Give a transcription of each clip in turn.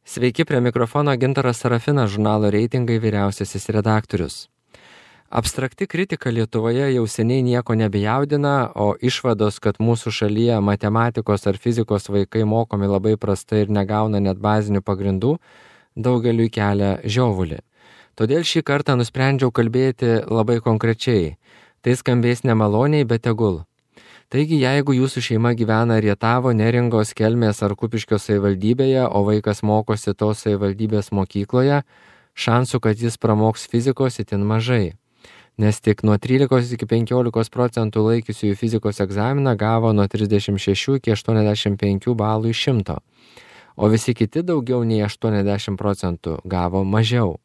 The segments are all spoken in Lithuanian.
Sveiki, prie mikrofono Gintaras Sarafinas, žurnalo Reitingai vyriausiasis redaktorius. Abstrakti kritika Lietuvoje jau seniai nieko nebejaudina, o išvados, kad mūsų šalyje matematikos ar fizikos vaikai mokomi labai prastai ir negauna net bazinių pagrindų, daugeliui kelia žiovulį. Todėl šį kartą nusprendžiau kalbėti labai konkrečiai. Tai skambės nemaloniai, bet tegul. Taigi, jeigu jūsų šeima gyvena Rietavo, Neringos, Kelmės ar Kupiškio savivaldybėje, o vaikas mokosi tos savivaldybės mokykloje, šansų, kad jis pramoks fizikos itin mažai. Nes tik nuo 13 iki 15% laikiusiųjų fizikos egzaminą gavo nuo 36 iki 85 balų iš 100, o visi kiti daugiau nei 80% gavo mažiau.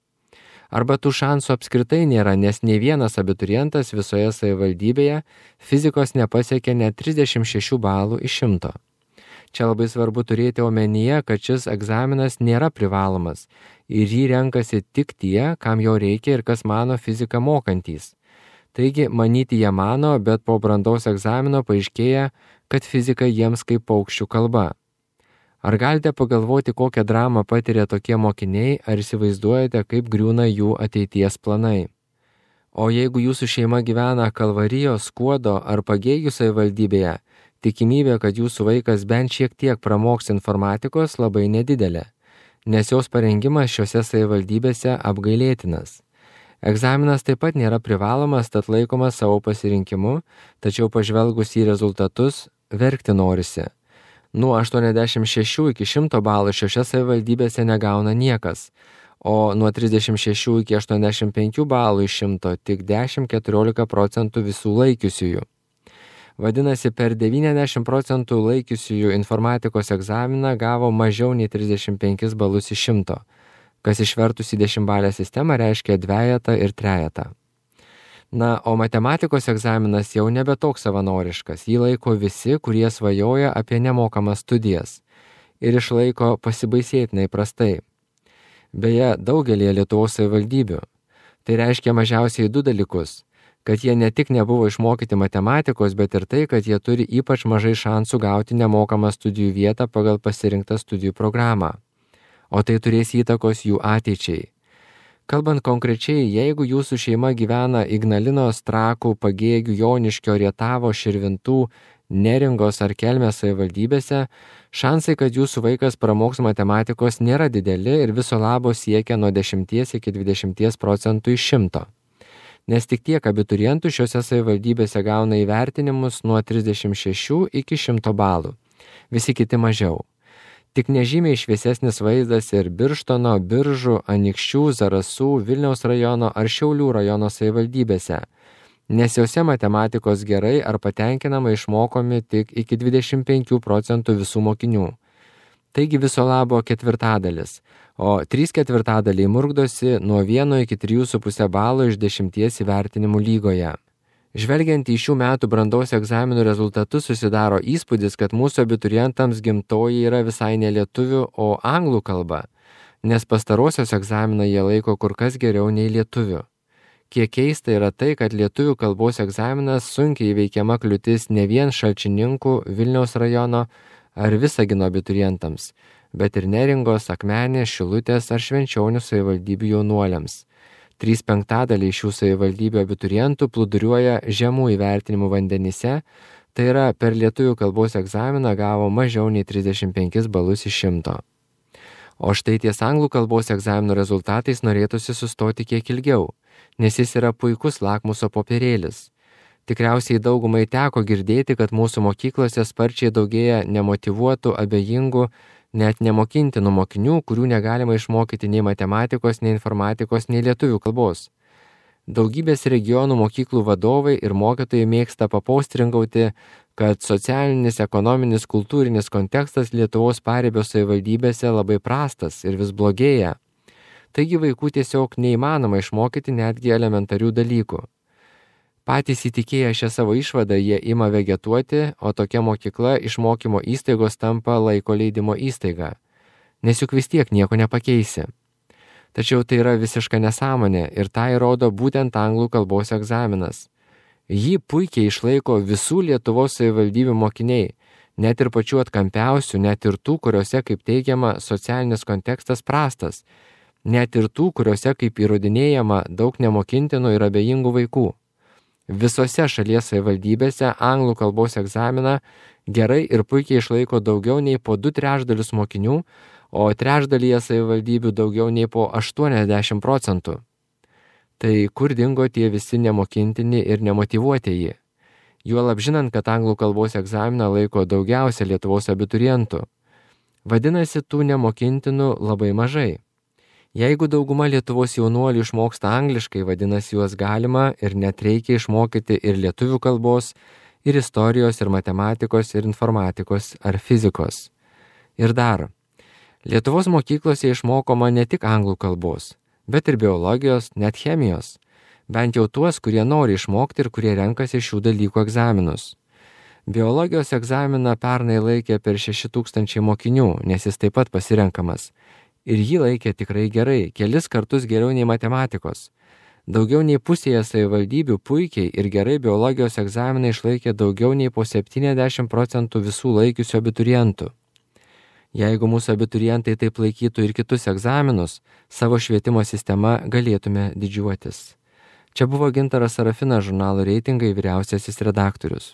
Arba tų šansų apskritai nėra, nes nei vienas abiturientas visoje savivaldybėje fizikos nepasiekė net 36 balų iš 100. Čia labai svarbu turėti omenyje, kad šis egzaminas nėra privalomas ir jį renkasi tik tie, kam jo reikia ir kas mano fiziką mokantys. Taigi, manyti jie mano, bet po brandos egzamino paaiškėja, kad fizika jiems kaip paukščių kalba. Ar galite pagalvoti, kokią dramą patiria tokie mokiniai, ar įsivaizduojate, kaip griūna jų ateities planai? O jeigu jūsų šeima gyvena Kalvarijos, Skuodo ar Pagėgių savivaldybėje, tikimybė, kad jūsų vaikas bent šiek tiek pramoks informatikos labai nedidelė, nes jos parengimas šiuose savivaldybėse apgailėtinas. Egzaminas taip pat nėra privalomas, tad laikomas savo pasirinkimu, tačiau pažvelgus į rezultatus, verkti norisi. Nuo 86 iki 100 balų šiose savivaldybėse negauna niekas, o nuo 36 iki 85 balų iš 100 tik 10–14% visų laikiusiųjų. Vadinasi, per 90% laikiusiųjų informatikos egzaminą gavo mažiau nei 35 balus iš 100, kas išvertus į 10-balę sistemą reiškia dvejetą ir trejetą. Na, o matematikos egzaminas jau nebe toks savanoriškas, jį laiko visi, kurie svajoja apie nemokamas studijas ir išlaiko pasibaisėtinai prastai. Beje, daugelį Lietuvos savivaldybių. Tai reiškia mažiausiai 2 dalykus, kad jie ne tik nebuvo išmokyti matematikos, bet ir tai, kad jie turi ypač mažai šansų gauti nemokamą studijų vietą pagal pasirinktą studijų programą. O tai turės įtakos jų ateičiai. Kalbant konkrečiai, jeigu jūsų šeima gyvena Ignalinos, Trakų, Pagėgių, Joniškio, Rietavo, Širvintų, Neringos ar Kelmės savivaldybėse, šansai, kad jūsų vaikas pramoks matematikos nėra dideli ir viso labo siekia nuo 10 iki 20% iš 100. Nes tik tiek abiturientų šiuose savivaldybėse gauna įvertinimus nuo 36 iki 100 balų. Visi kiti mažiau. Tik nežymiai šviesesnis vaizdas ir Birštono, Biržų, Anykščių, Zarasų, Vilniaus rajono ar Šiaulių rajono savivaldybėse, nes jose matematikos gerai ar patenkinamai išmokomi tik iki 25% visų mokinių. Taigi viso labo 1/4, o 3/4 murkdosi nuo 1 iki 3,5 balo iš 10 įvertinimų lygoje. Žvelgiant į šių metų brandos egzaminų rezultatus susidaro įspūdis, kad mūsų abiturientams gimtoji yra visai ne lietuvių, o anglų kalba, nes pastarosios egzaminą jie laiko kur kas geriau nei lietuvių. Kiek keista yra tai, kad lietuvių kalbos egzaminas sunkiai įveikiama kliūtis ne vien Šalčininkų, Vilniaus rajono ar Visagino abiturientams, bet ir Neringos, Akmenės, Šilutės ar Švenčionių savivaldybių jaunuoliams. 3/5 šių savivaldybių abiturientų plūduriuoja žemų įvertinimų vandenyse, tai yra per lietuvių kalbos egzaminą gavo mažiau nei 35 balus iš 100. O štai ties anglų kalbos egzaminų rezultatais norėtųsi sustoti kiek ilgiau, nes jis yra puikus lakmuso popierėlis. Tikriausiai daugumai teko girdėti, kad mūsų mokyklose sparčiai daugėja nemotyvuotų, abejingų, net nemokintinų mokinių, kurių negalima išmokyti nei matematikos, nei informatikos, nei lietuvių kalbos. Daugybės regionų mokyklų vadovai ir mokytojai mėgsta papostringauti, kad socialinis, ekonominis, kultūrinis kontekstas Lietuvos paribio savivaldybėse labai prastas ir vis blogėja. Taigi vaikų tiesiog neįmanoma išmokyti netgi elementarių dalykų. Patys įtikėję šią savo išvadą jie ima vegetuoti, o tokia mokykla iš mokymo įstaigos tampa laiko leidimo įstaiga. Nes juk vis tiek nieko nepakeisi. Tačiau tai yra visiška nesąmonė ir tai rodo būtent anglų kalbos egzaminas. Jį puikiai išlaiko visų Lietuvos savivaldybių mokiniai, Net ir pačių atkampiausių, net ir tų, kuriuose, kaip teigiama, socialinis kontekstas prastas, net ir tų, kuriuose, kaip įrodinėjama, daug nemokintinų ir abejingų vaikų. Visose šalies savivaldybėse anglų kalbos egzaminą gerai ir puikiai išlaiko daugiau nei po 2/3 mokinių, o trečdalyje savivaldybių daugiau nei po 80%. Tai kur dingo tie visi nemokintini ir nemotyvuotieji? Juolab žinant, kad anglų kalbos egzaminą laiko daugiausia Lietuvos abiturientų. Vadinasi, tų nemokintinų labai mažai. Jeigu dauguma Lietuvos jaunuolių išmoksta angliškai, vadinasi, juos galima ir net reikia išmokyti ir lietuvių kalbos, ir istorijos, ir matematikos, ir informatikos, ar fizikos. Ir dar, Lietuvos mokyklose išmokoma ne tik anglų kalbos, bet ir biologijos, net chemijos. Bent jau tuos, kurie nori išmokti ir kurie renkasi šių dalykų egzaminus. Biologijos egzaminą pernai laikė per 6000 mokinių, nes jis taip pat pasirenkamas. Ir jį laikė tikrai gerai, kelis kartus geriau nei matematikos. Daugiau nei pusėje savivaldybių puikiai ir gerai biologijos egzaminą išlaikė daugiau nei po 70% visų laikiusių abiturientų. Jeigu mūsų abiturientai taip laikytų ir kitus egzaminus, savo švietimo sistema galėtume didžiuotis. Čia buvo Gintaras Sarafinas, žurnalo Reitingai vyriausiasis redaktorius.